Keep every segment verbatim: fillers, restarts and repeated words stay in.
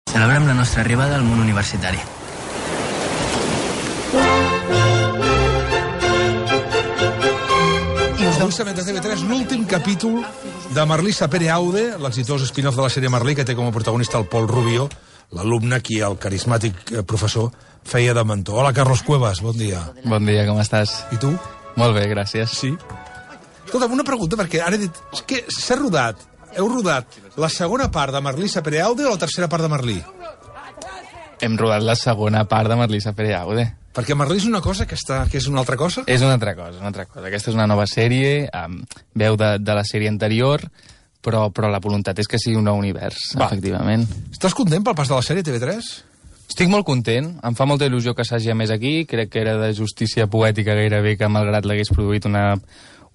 Celebrem la nostra arribada al món universitari. Avui s'emet a T V tres l'últim capítol de Marlisa Pere Aude, l'exitós spin-off de la sèrie Merlí, que té com a protagonista el Pol Rubio, l'alumne qui el carismàtic professor feia de mentor. Hola, Carlos Cuevas, bon dia. Bon dia, com estàs? I tu? Molt bé, gràcies. Sí? Escolta'm, una pregunta, perquè ara he dit... És que s'ha rodat, heu rodat la segona part de Marlisa Pere Aude o la tercera part de Merlí? Hem rodat la segona part de Marlisa Pere Aude. Perquè Merlí és una cosa que, està, que és una altra cosa? És una altra cosa, una altra cosa. Aquesta és una nova sèrie, amb veu de, de la sèrie anterior, però, però la voluntat és que sigui un nou univers, Va. efectivament. Estàs content pel pas de la sèrie T V tres? Estic molt content, em fa molta il·lusió que s'hagi més aquí, crec que era de justícia poètica gairebé que malgrat l'hagués produït una,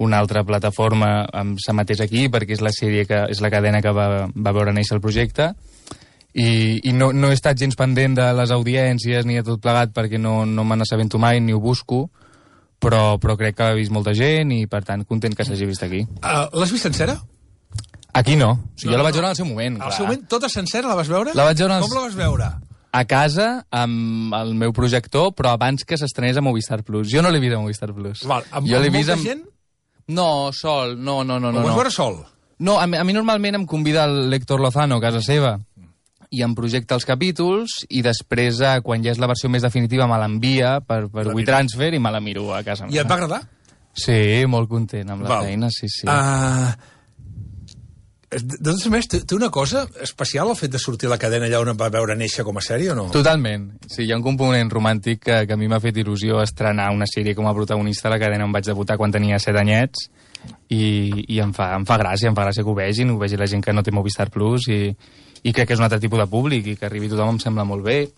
una altra plataforma s'emetés aquí, perquè és la sèrie que és la cadena que va, va veure néixer el projecte, i, i no, no he estat gens pendent de les audiències ni de tot plegat perquè no, no me n'assabento mai ni ho busco, però, però crec que l'ha vist molta gent i per tant content que s'hagi vist aquí. Uh, L'has vist sencera? Aquí no, o sigui, no, jo la vaig no. veure al seu moment. Al seu moment, tota sencera la vas veure? La vaig veure als... Com la vas veure? A casa, amb el meu projector, però abans que s'estrenés a Movistar Plus. Jo no l'he vist a Movistar Plus. Val, amb, jo amb vist molta amb... gent? No, sol, no, no, no. Ho vas no. veure sol? No, a mi, a mi normalment em convida l'Héctor Lozano a casa seva i em projecta els capítols i després, quan ja és la versió més definitiva, me l'envia per, per WeTransfer i me la miro a casa. I et va agradar? Sí, molt content amb la Val. feina, sí, sí. Uh, de totes maneres, té, té una cosa especial el fet de sortir a la cadena allà on em va veure néixer com a sèrie o no? Totalment. Sí, hi ha un component romàntic que, que a mi m'ha fet il·lusió estrenar una sèrie com a protagonista a la cadena on vaig debutar quan tenia set anyets i, i em, fa, em fa gràcia, em fa gràcia que ho vegin, ho vegi la gent que no té Movistar Plus i, i crec que és un altre tipus de públic i que arribi tothom em sembla molt bé.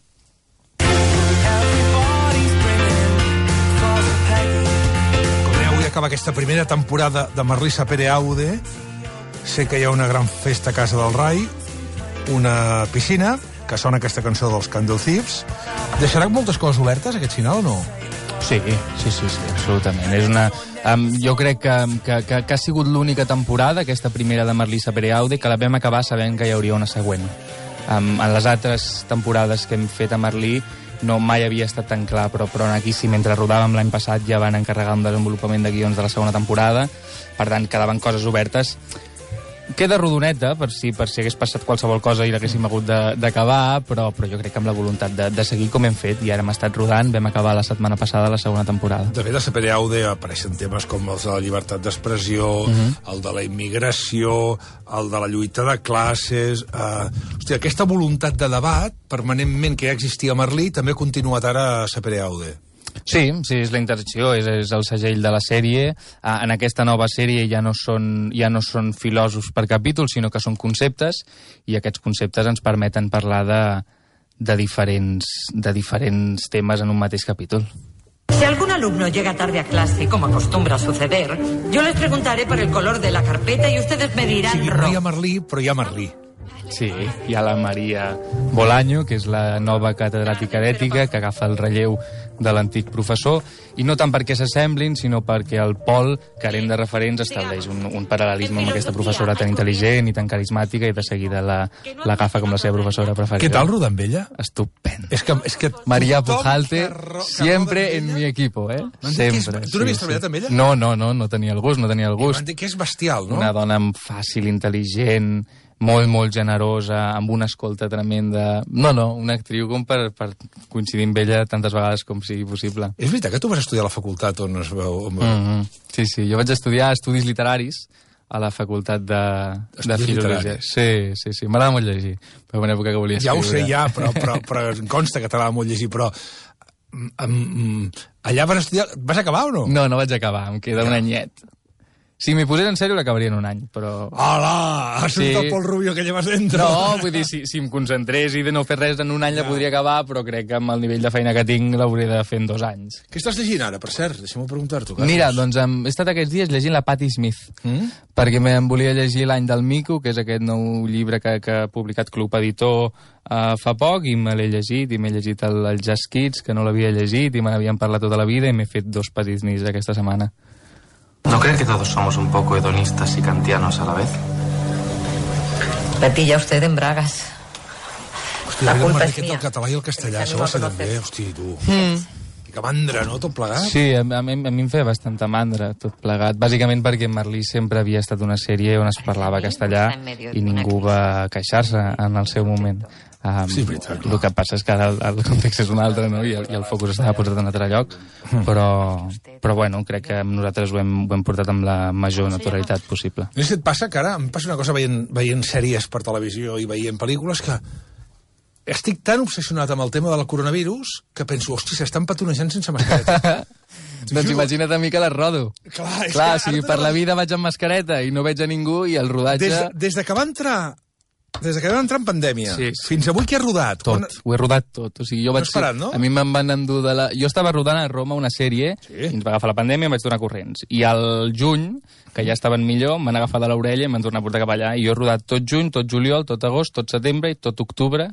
Com deia, avui acaba aquesta primera temporada de Marlisa Pere Aude. Sé que hi ha una gran festa a Casa del Rai, una piscina, que sona aquesta cançó dels Candle Thieves. Deixarà moltes coses obertes, aquest final, o no? Sí, sí, sí, sí, absolutament. És una, um, jo crec que, que, que, que ha sigut l'única temporada, aquesta primera de Marlisa Pere Aude, que la vam acabar sabent que hi hauria una següent. Um, en les altres temporades que hem fet a Merlí no mai havia estat tan clar, però, però aquí sí, mentre rodàvem l'any passat ja van encarregar un desenvolupament de guions de la segona temporada, per tant quedaven coses obertes. Queda rodoneta, per si, per si hagués passat qualsevol cosa i l'haguéssim hagut d'acabar, però, però jo crec que amb la voluntat de, de seguir com hem fet, i ara hem estat rodant, vam acabar la setmana passada la segona temporada. De fet, a Pere Aude apareixen temes com els de la llibertat d'expressió, uh-huh. el de la immigració, el de la lluita de classes... Uh, hòstia, aquesta voluntat de debat, permanentment que ja existia a Merlí, també ha continuat ara a Pere Aude. Sí, sí, és la interacció, és, és el segell de la sèrie. Ah, en aquesta nova sèrie ja no, són, ja no són filòsofs per capítol, sinó que són conceptes, i aquests conceptes ens permeten parlar de, de, diferents, de diferents temes en un mateix capítol. Si algún alumno llega tarde a clase, como acostumbra suceder, yo les preguntaré por el color de la carpeta y ustedes me dirán... Sí, no hi ha Merlí, però hi ha Merlí. Sí, hi ha la Maria Bolaño, que és la nova catedràtica d'ètica, que agafa el relleu de l'antic professor, i no tant perquè s'assemblin, sinó perquè el Pol, carent de referents, estableix un, un paral·lelisme amb aquesta professora tan intel·ligent i tan carismàtica, i de seguida l'agafa com la seva professora preferida. Què tal rodar amb ella? Estupendo. És que, és que Maria Pujalte, siempre en mi equipo, eh? No sempre. És, tu no havies sí, treballat sí. amb ella? No, no, no, no tenia el gust, no tenia el gust. M'han dit que és bestial, no? Una dona fàcil, intel·ligent, molt, molt generosa, amb una escolta tremenda... No, no, una actriu com per, per coincidir amb ella tantes vegades com sigui possible. És veritat que tu vas estudiar a la facultat on es veu... On... Mm-hmm. Sí, sí, jo vaig estudiar estudis literaris a la facultat de, de filologia. Sí, sí, sí, m'agrada molt llegir. Però en època que volia escriure... Ja ho sé, ja, però, però, però em consta que t'agrada molt llegir, però... Um, allà vas estudiar... Vas acabar o no? No, no vaig acabar, em queda un anyet. Si m'hi posés en sèrio, l'acabaria en un any, però... Hola! Has sentit sí. el Pol Rubio que llevas dentro? No, vull dir, si, si em concentrés i de no fer res en un any ja. la podria acabar, però crec que amb el nivell de feina que tinc l'hauria de fer en dos anys. Què estàs llegint ara, per cert? Deixa'm preguntar-t'ho. Mira, doncs hem, he estat aquests dies llegint la Patti Smith, mm? perquè em volia llegir L'any del mico, que és aquest nou llibre que, que ha publicat Club Editor uh, fa poc, i me l'he llegit, i m'he llegit el, el Jazz Kids, que no l'havia llegit, i me n'havien parlat tota la vida, i m'he fet dos petits nits aquesta setmana. ¿No cree que todos somos un poco hedonistas y kantianos a la vez? Me pilla usted en bragas. Hòstia, el marriquet del català i el castellà, això va ser també, hòstia, tu. Mm. Que mandra, no?, tot plegat. Sí, a, a, mi, a mi em feia bastanta mandra, tot plegat. Bàsicament perquè Merlí sempre havia estat una sèrie on es parlava castellà i ningú va queixar-se en el seu moment. Um, sí, veritat, el que passa és que ara el, el context és un altre, no?, i el, i el focus estava posat en un altre lloc, però, però bueno, crec que nosaltres ho hem, ho hem portat amb la major naturalitat possible. No sé si et passa que ara em passa una cosa veient, veient sèries per televisió i veient pel·lícules que estic tan obsessionat amb el tema del coronavirus que penso, hòstia, s'estan petonejant sense mascareta. Doncs imagina't a mi que les rodo. Clar, Clar o sigui, per la vida vaig amb mascareta i no veig a ningú i el rodatge... Des, de, des de que va entrar... Des de que vam entrar en pandèmia, sí, sí. fins avui que he rodat... Tot, quan... ho he rodat tot. O sigui, jo vaig... No has parat, no? A mi me'n van endur de la... Jo estava rodant a Roma una sèrie, sí. i ens va agafar la pandèmia i em vaig donar corrents. I al juny, que ja estaven millor, m'han agafat de l'orella i m'han tornat a portar cap allà. I jo he rodat tot juny, tot juliol, tot agost, tot setembre i tot octubre,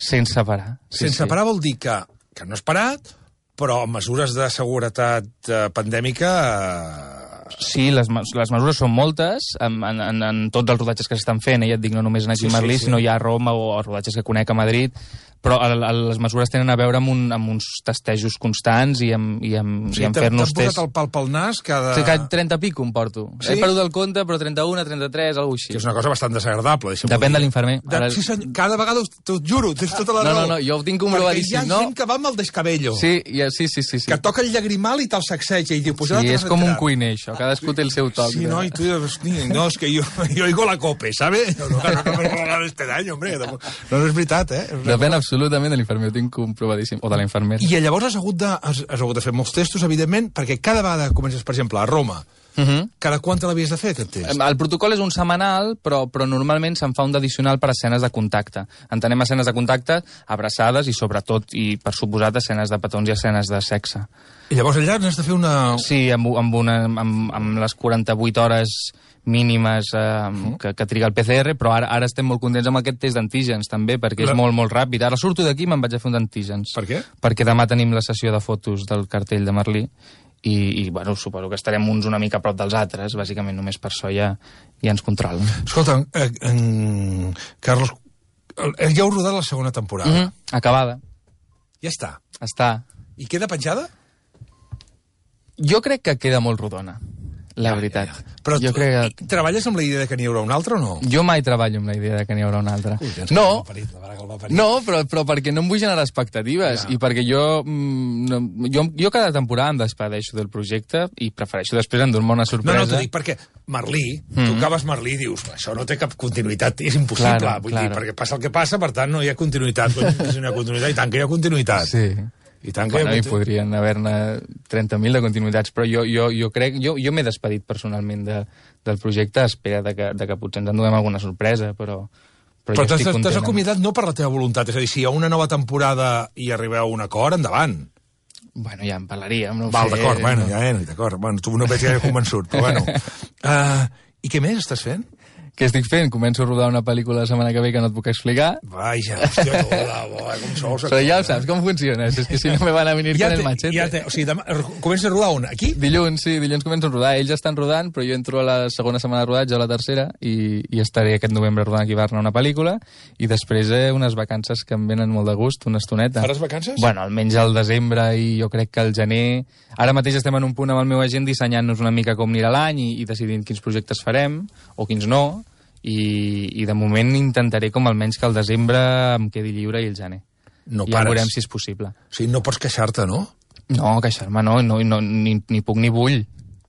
sense parar. Sí, sense sí. parar vol dir que, que no has parat, però amb mesures de seguretat eh, pandèmica... Eh... Sí, les, les mesures són moltes, en, en, en tots els rodatges que s'estan fent, eh, ja et dic, no només aquí a sí, Merlí, sí, sí. sinó ja a Roma o els rodatges que conec a Madrid, però el, el, les mesures tenen a veure amb, un, amb uns testejos constants i amb, i amb, sí, i amb fer-nos tests. T'han posat el pal pel nas cada... Sí, cada trenta pico em porto. Sí? He perdut el compte, però trenta-un, trenta-tres, alguna cosa així. Que és una cosa bastant desagradable. Depèn de l'infermer. De, Ara... sí, senyor, cada vegada, t'ho juro, tens tota la no, raó. No, no, jo ho tinc comprovadíssim. Perquè hi ha no? gent que va amb el descabello. Sí, ja, sí, sí, sí, sí. Que toca el llagrimal i te'l sacseja. I diu, pues sí, és com un cuiner, això. Cadascú té el seu toc. Sí, no, y tú no, es que yo, yo oigo la cope, ¿sabes? No, no, no, no me regalar este daño, hombre. No, no és veritat, eh? Depèn absolutament de l'infermer, ho tinc comprovadíssim, o de la infermera. I llavors has hagut, de, has, has hagut de fer molts testos, evidentment, perquè cada vegada que comences, per exemple, a Roma, uh -huh. cada quant te l'havies de fer, aquest test? El protocol és un setmanal, però, però normalment se'n fa un d'addicional per escenes de contacte. Entenem escenes de contacte, abraçades i, sobretot, i per suposat, escenes de petons i escenes de sexe. I llavors allà n'has de fer una... Sí, amb, amb, una, amb, amb les quaranta-vuit hores mínimes eh, uh-huh. que, que triga el P C R, però ara, ara estem molt contents amb aquest test d'antígens, també, perquè La... és molt, molt ràpid. Ara surto d'aquí i me'n vaig a fer un d'antígens. Per què? Perquè demà tenim la sessió de fotos del cartell de Merlí i, i bueno, suposo que estarem uns una mica a prop dels altres, bàsicament només per això ja, ja ens controlen. Escolta, eh, en... Carlos, ja heu rodat la segona temporada. Uh-huh. Acabada. Ja està. Està. I queda penjada? Jo crec que queda molt rodona, la ja, veritat. Ja, ja. Però jo tu, crec que... treballes amb la idea de que n'hi haurà una altra o no? Jo mai treballo amb la idea de que n'hi haurà una altra. Ui, no, parit, no però, però perquè no em vull generar expectatives ja. I perquè jo, mm, no, jo jo cada temporada em despedeixo del projecte i prefereixo després endur-me una sorpresa. No, no, t'ho dic perquè Merlí, mm. tu acabes Merlí i dius, això no té cap continuïtat, és impossible, claro, vull claro. dir, perquè passa el que passa, per tant no hi ha continuïtat. Si no hi ha continuïtat, i tant que hi ha continuïtat. Sí. I tant que bueno, hi ha... podrien haver-ne trenta mil de continuïtats, però jo, jo, jo crec... Jo, jo m'he despedit personalment de, del projecte a espera de que, de que potser ens enduem alguna sorpresa, però... Però, però t'has, t'has acomiadat no per la teva voluntat, és a dir, si hi ha una nova temporada i arribeu a un acord, endavant. Bueno, ja en parlaríem, no ho Val, sé. d'acord, no. bueno, ja, eh, d'acord. Bueno, tu no veig gaire convençut, però bueno. Uh, I què més estàs fent? Què estic fent? Començo a rodar una pel·lícula la setmana que ve que no et puc explicar. Vaja, hòstia, toda, boa, com sou... Però ja ho saps, com funciona. És que si no me van a venir ja con te, el machete. Ja te, o sigui, demà, comença a rodar on? Aquí? Dilluns, sí, dilluns començo a rodar. Ells ja estan rodant, però jo entro a la segona setmana de rodatge, a la tercera, i, i estaré aquest novembre rodant aquí a Barna una pel·lícula, i després eh, unes vacances que em venen molt de gust, una estoneta. Faràs vacances? Bueno, almenys al desembre i jo crec que al gener... Ara mateix estem en un punt amb el meu agent dissenyant-nos una mica com anirà l'any i, i decidint quins projectes farem, o quins no, I, i de moment intentaré com almenys que al desembre em quedi lliure i el gener. No I pares. ja veurem si és possible. O sigui, no pots queixar-te, no? No, queixar-me no, no, no ni, ni puc ni vull,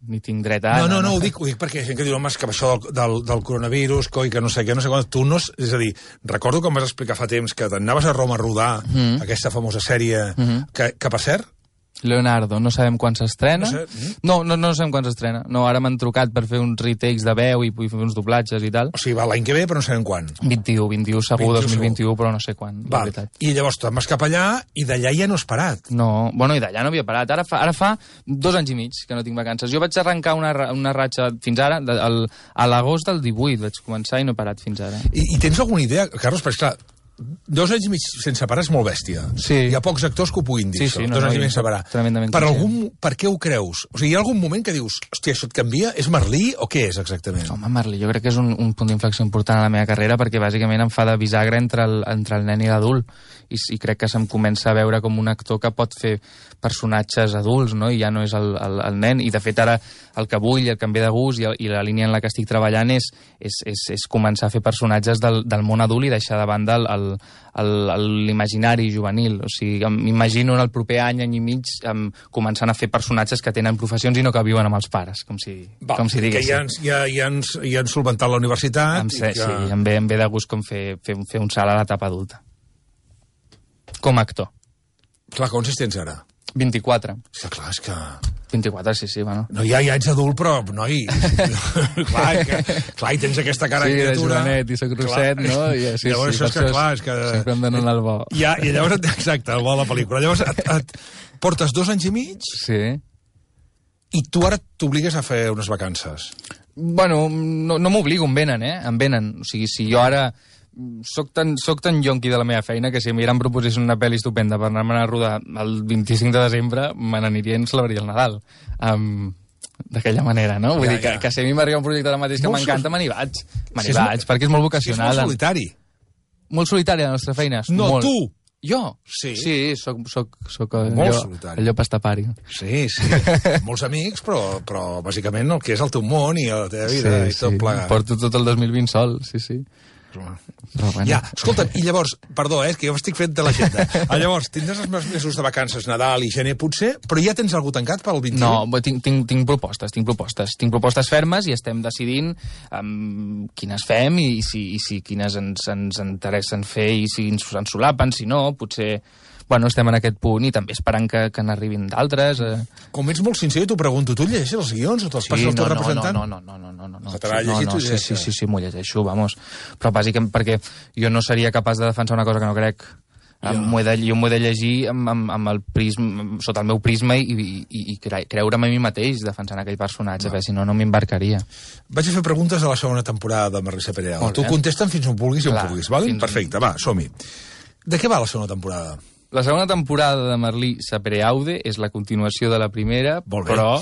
ni tinc dret a... No, no, no, ho dic, ho dic perquè hi ha gent que diu, home, és que això del, del, del coronavirus, coi, que no sé què, no sé quan, tu no... És a dir, recordo que em vas explicar fa temps que t'anaves a Roma a rodar mm. aquesta famosa sèrie, mm-hmm. que, que per cert... Leonardo, no sabem quan s'estrena. No, sé. no, no, no sabem quan s'estrena. No, ara m'han trucat per fer uns retakes de veu i, i fer uns doblatges i tal. O sigui, va l'any que ve, però no sabem quan. vint-i-u, vint-i-u segur, dos mil vint-i-u, però no sé quan, Val. la veritat. I llavors te'n vas cap allà i d'allà ja no has parat. No, bueno, i d'allà no havia parat. Ara fa, ara fa dos anys i mig que no tinc vacances. Jo vaig arrencar una, una ratxa fins ara, de, el, a l'agost del divuit vaig començar i no he parat fins ara. I, i tens alguna idea, Carlos? Perquè, clar, dos anys i mig sense parar és molt bèstia. Sí. Hi ha pocs actors que ho puguin dir, Sí, això. sí, no, dos no, anys i mig jo sense parar. tremendament Per, conscient. algun, per què ho creus? O sigui, hi ha algun moment que dius, hòstia, això et canvia? És Merlí o què és exactament? Home, Merlí, jo crec que és un, un punt d'inflexió important a la meva carrera perquè bàsicament em fa de bisagra entre el, entre el nen i l'adult i, i crec que se'm comença a veure com un actor que pot fer personatges adults, no? I ja no és el, el, el nen. I de fet ara el que vull, el que em ve de gust i, el, i la línia en la que estic treballant és, és, és, és començar a fer personatges del, del món adult i deixar de banda l'imaginari juvenil. O sigui, m'imagino en el proper any, any i mig, um, començant a fer personatges que tenen professions i no que viuen amb els pares, com si, Val, com si diguéssim. Que ja, ens- ja, ja, ens, ja han solventat la universitat. Em, sé, i que... Sí, em ve, em ve de gust com fer, fer, fer un salt a l'etapa adulta. Com a actor. Clar, quants anys tens ara? vint-i-quatre. Sí, clar, és que... vint-i-quatre, sí, sí, bueno. No, ja, ja ets adult, però, noi... clar, que, clar, i tens aquesta cara Sí, de de criatura... jovenet i soc rosset, no? I, sí, llavors, sí, això és per que, això clar, és que... sempre em donen el bo. Ja, i llavors, exacte, el bo de la pel·lícula. Llavors, et, et portes dos anys i mig Sí. i tu ara t'obligues a fer unes vacances. Bueno, no, no m'obligo, em venen, eh? Em venen. O sigui, si jo ara soc tan, soc tan yonqui de la meva feina que si a mi ara em proposessin una pel·li estupenda per anar-me'n a rodar el vint-i-cinc de desembre, me n'aniria i em celebraria el Nadal. Um, D'aquella manera, no? Vull Ja, dir que, ja. que si a mi m'arriba un projecte ara mateix que Molt m'encanta, me n'hi vaig. Me Si n'hi és vaig, molt- perquè és molt És vocacional. molt solitari. Molt solitària la nostra feina. No, molt. tu! Jo? Sí. Sí, soc, soc, soc el, Molt llop, solitari. el llop estapari. Sí, sí. Molts amics, però, però bàsicament el que és el teu món i la teva vida i tot plegat. Porto tot el dos mil vint sol, sí, sí. Però, bueno. Ja, escolta'm, i llavors, perdó, eh, que jo estic fent de l'agenda. Ah, llavors, tindràs els mesos de vacances, Nadal i gener, potser, però ja tens algú tancat pel vint-i-u? No, bo, tinc, tinc, tinc propostes, tinc propostes. Tinc propostes fermes i estem decidint um, quines fem i, i, si, i si quines ens, ens interessen fer i si ens, ens solapen, si no, potser... Bueno, estem en aquest punt i també esperant que, que n'arribin d'altres. Eh. Com ets molt sincer, t'ho pregunto, tu llegeixes els guions o te'ls passes al teu representant? no, no, no, no, no, no, no. Se te l'ha no, llegit, no, tu sí, llegeixes? sí, sí, sí, m'ho llegeixo, vamos. Però bàsicament perquè jo no seria capaç de defensar una cosa que no crec. Ja. M'ho he de, jo m'ho he de llegir amb, amb, amb el prisma, sota el meu prisma i, i, i cre creure'm a mi mateix defensant aquell personatge, perquè si no, no m'embarcaria. Vaig a fer preguntes de la segona temporada de Marisa Pereira. Molt Tu bé. contesta'm fins on vulguis i on Clar, vulguis, val? fins- Perfecte, va, som-hi. De què va la segona temporada? La segona temporada de Merlí Sapereaude és la continuació de la primera, Molt bé. però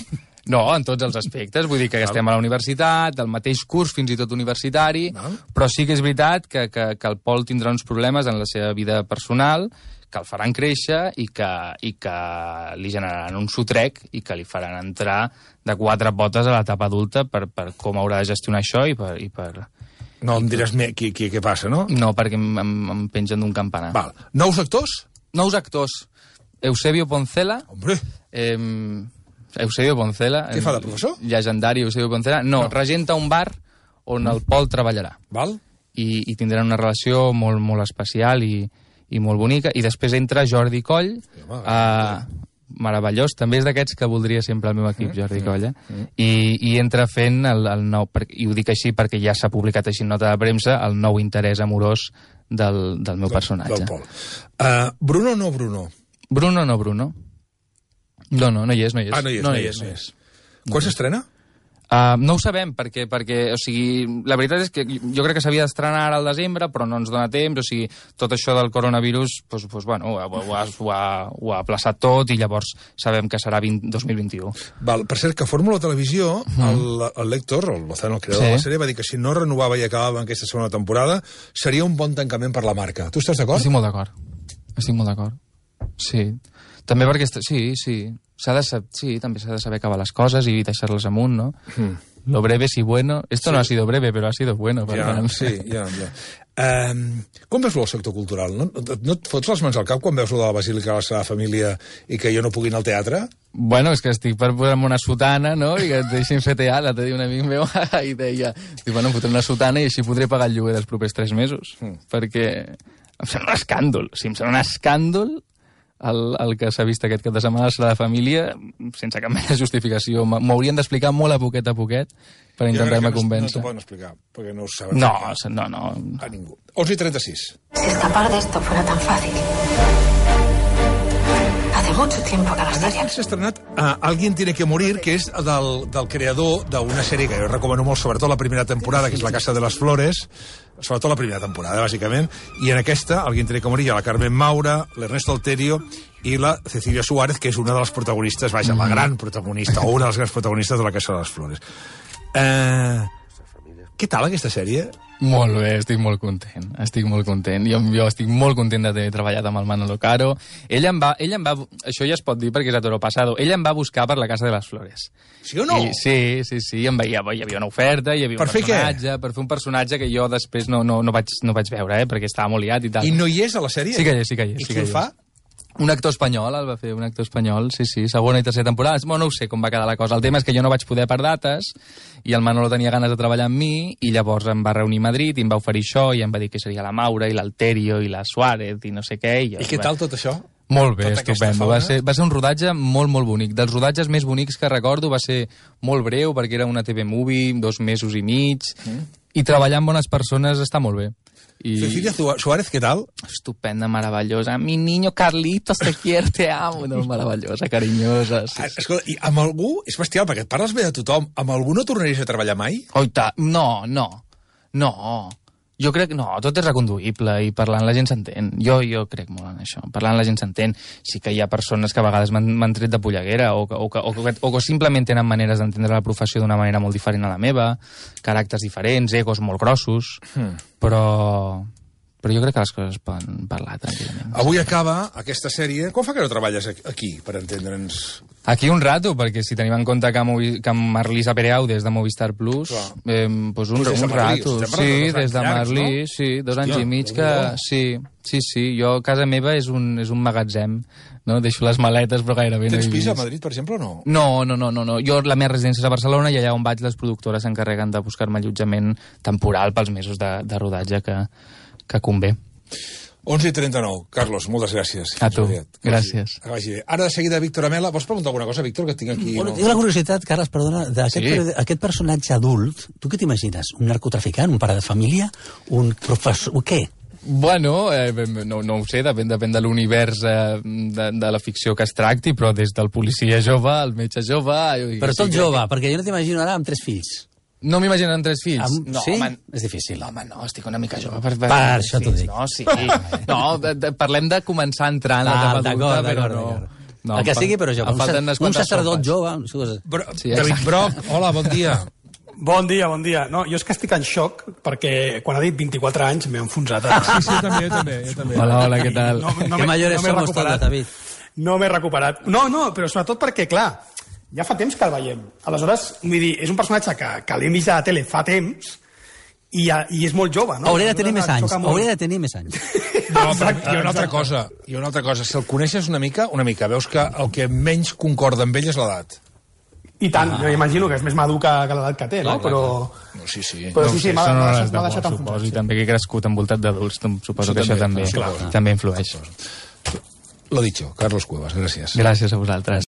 no, en tots els aspectes. Vull dir que estem a la universitat, al mateix curs, fins i tot universitari, Val. però sí que és veritat que, que, que el Pol tindrà uns problemes en la seva vida personal que el faran créixer i que, i que li generaran un sotrec i que li faran entrar de quatre potes a l'etapa adulta per, per com haurà de gestionar això i per... I per... No em diràs me, qui, qui, què passa, no? No, perquè em, em, em pengen d'un campanar. Val. Nous actors? Nous actors. Eusebio Poncela, Hombre, Eh, Eusebio Poncela. Què fa de professor? Llegendari Eusebio Poncela. No, No. regenta un bar on el Pol treballarà. val? I, i tindran una relació molt, molt especial i, i molt bonica. I després entra Jordi Coll, home, eh, meravellós. També és d'aquests que voldria sempre el meu equip, Jordi Coll. Eh? I, I entra fent el, el nou... Per, I ho dic així perquè ja s'ha publicat així en nota de premsa, el nou interès amorós del, del meu personatge. Del Pol. Uh, Bruno o no Bruno? Bruno no Bruno. No, no, no hi és, no hi és. Ah, no hi és, no hi és. No hi és. Quan s'estrena? Uh, no ho sabem, perquè, perquè, o sigui, la veritat és que jo crec que s'havia d'estrenar ara al desembre, però no ens dona temps, o sigui, tot això del coronavirus, pues, pues, bueno, ho, ha, ho, ha, ho, ha, ho ha aplaçat tot i llavors sabem que serà vint, dos mil vint-i-u. Val, per cert, que Fórmula Televisió, el, el lector, el Lozano, el creador Sí. de la sèrie, va dir que si no renovava i acabava en aquesta segona temporada, seria un bon tancament per la marca. Tu estàs d'acord? Estic molt d'acord. Estic molt d'acord. Sí. També perquè... est- Sí, sí. S'ha de sab... Sí, també s'ha de saber acabar les coses i deixar-les amunt, no? Mm. Lo breve si bueno... Esto Sí. no ha sido breve, pero ha sido bueno. Per Ja, tant. sí, ja, ja. Um, com veus el sector cultural? No, no et fots les mans al cap quan veus lo de la Basílica de la Sagrada Família i que jo no pugui anar al teatre? Bueno, és que estic per posar-me una sotana, no?, i que et deixin fer teatre. L'altre dia un amic meu i deia, diu, bueno, em fotré una sotana i així podré pagar el lloguer dels propers tres mesos. Mm. Perquè em sembla un escàndol. O sigui, em sembla un escàndol el, el que s'ha vist aquest cap de setmana a la Sagrada Família sense cap mena de justificació. M- M'ho haurien d'explicar molt a poquet a poquet per intentar-me No convèncer. t'ho poden explicar, perquè no ho saben No, explicar no, no. a ningú. onze i trenta-sis. Si escapar de esto fuera tan fácil. Hace mucho tiempo que no A estaría. Netflix s'ha estrenat uh, Alguien tiene que morir, que és del, del creador d'una sèrie que jo recommano molt, sobretot la primera temporada, que és La Casa de les Flores, sobretot la primera temporada, bàsicament, i en aquesta, el Guintre Comorilla, la Carmen Maura, l'Ernesto Alterio i la Cecilia Suárez, que és una de les protagonistes, vaja, la gran protagonista, o una de les grans protagonistes de La Casa de les Flores. Eh... Què tal aquesta sèrie? Molt bé, estic molt content, estic molt content. Jo, jo estic molt content d'haver treballat amb el Manolo Caro. Ell em va, ell em va, això ja es pot dir perquè és a toro passado, ell em va buscar per La Casa de les Flores. Sí o no? I, sí, sí, sí, em veia, hi havia una oferta, hi havia per un personatge, per fer un personatge que jo després no, no, no, vaig, no vaig veure, eh, perquè estava molt liat i tal. I no hi és a la sèrie? Sí que hi és, sí que hi és. I sí qui el fa? Un actor espanyol, el va fer un actor espanyol, sí, sí, segona i tercera temporada. Bueno, no ho sé com va quedar la cosa. El tema és que jo no vaig poder per dates i el Manolo tenia ganes de treballar amb mi i llavors em va reunir a Madrid i em va oferir això i em va dir que seria la Maura i l'Alterio i la Suárez i no sé què. I, jo, I què tal tot això? Molt bé, tota estupendo. Va ser, va ser un rodatge molt, molt bonic. Dels rodatges més bonics que recordo va ser molt breu perquè era una T V Movie, dos mesos i mig, mm. i treballar amb bones persones està molt bé. Y... Cecilia Suárez, ¿qué tal? Estupenda, maravillosa. Mi niño Carlitos, te quiero, te amo. No, meravellosa, carinyosa. Sí, sí. Escolta, i amb algú, és bestial, perquè et parles bé de tothom, amb algú no tornaries a treballar mai? Oita, no, no, no. Jo crec, no, tot és reconduïble i parlant la gent s'entén. Jo, jo crec molt en això. Parlant la gent s'entén. Sí que hi ha persones que a vegades m'han tret de polleguera o que, o, que, o, que, o que simplement tenen maneres d'entendre la professió d'una manera molt diferent a la meva, caràcters diferents, egos molt grossos, hmm. però... però jo crec que les coses es poden parlar tranquil·lament. Avui acaba aquesta sèrie. Quan fa que no treballes aquí, per entendre'ns? Aquí un rato, perquè si tenim en compte que, Movi, que Marlisa Pereaude és de Movistar Plus, eh, pues un, pues un rato. Sí, des de Marlí, no? Sí, dos anys Hòstia, i mig que... Sí, sí, sí, jo, casa meva és un, és un magatzem, no? Deixo les maletes, però gairebé no he vist. Tens pis a Madrid, per exemple, o no? No, no, no, no, no. Jo, la meva residència és a Barcelona i allà on vaig les productores s'encarreguen de buscar-me allotjament temporal pels mesos de, de rodatge que... que convé. onze i trenta-nou. Carlos, moltes gràcies. A tu. Gràcies. Que vagi bé. Ara, de seguida, Víctor Amela. Vols preguntar alguna cosa, Víctor, que tinc aquí? Bueno, tinc la curiositat, Carles, perdona, d'aquest sí. aquest personatge adult, tu què t'imagines? Un narcotraficant, un pare de família, un professor... Què? Bueno, eh, no, no ho sé, depèn, depèn de l'univers eh, de, de la ficció que es tracti, però des del policia jove, el metge jove... Però tot jove, que... perquè jo no t'imagino ara amb tres fills. No m'imagino amb tres fills. Amb... No, sí? home, és difícil. No, home, no, estic una mica jove. Per, per, per això t'ho dic. No, sí. No, de, de, parlem de començar a entrar en la etapa adulta, però no... no el que sigui, però jove. Un, un sacerdot jove... Bro, sí, David Broc, hola, bon dia. Bon dia, bon dia. No, jo és que estic en xoc perquè quan ha dit vint-i-quatre anys m'he enfonsat. A... Sí, sí, també, jo també, jo també. Hola, hola, què tal? No, no que mayores no somos todos, David. No m'he recuperat. No, no, però sobretot perquè, clar, ja fa temps que el veiem. Aleshores, vull dir, és un personatge que, que l'hem vist a la tele fa temps i, i és molt jove, no? Hauria de tenir més anys, hauria de tenir més anys. No, però hi ha una altra cosa, hi ha una altra cosa. Si el coneixes una mica, una mica, veus que el que menys concorda amb ell és l'edat. I tant, jo imagino que és més madur que, que l'edat que té, no? Però... No, sí, sí. Però sí, sí, m'ha deixat enfonsat. Suposo, i també que he crescut envoltat d'adults, suposo que això també, també influeix. Lo dicho, Carlos Cuevas, gràcies. Gràcies a vosaltres.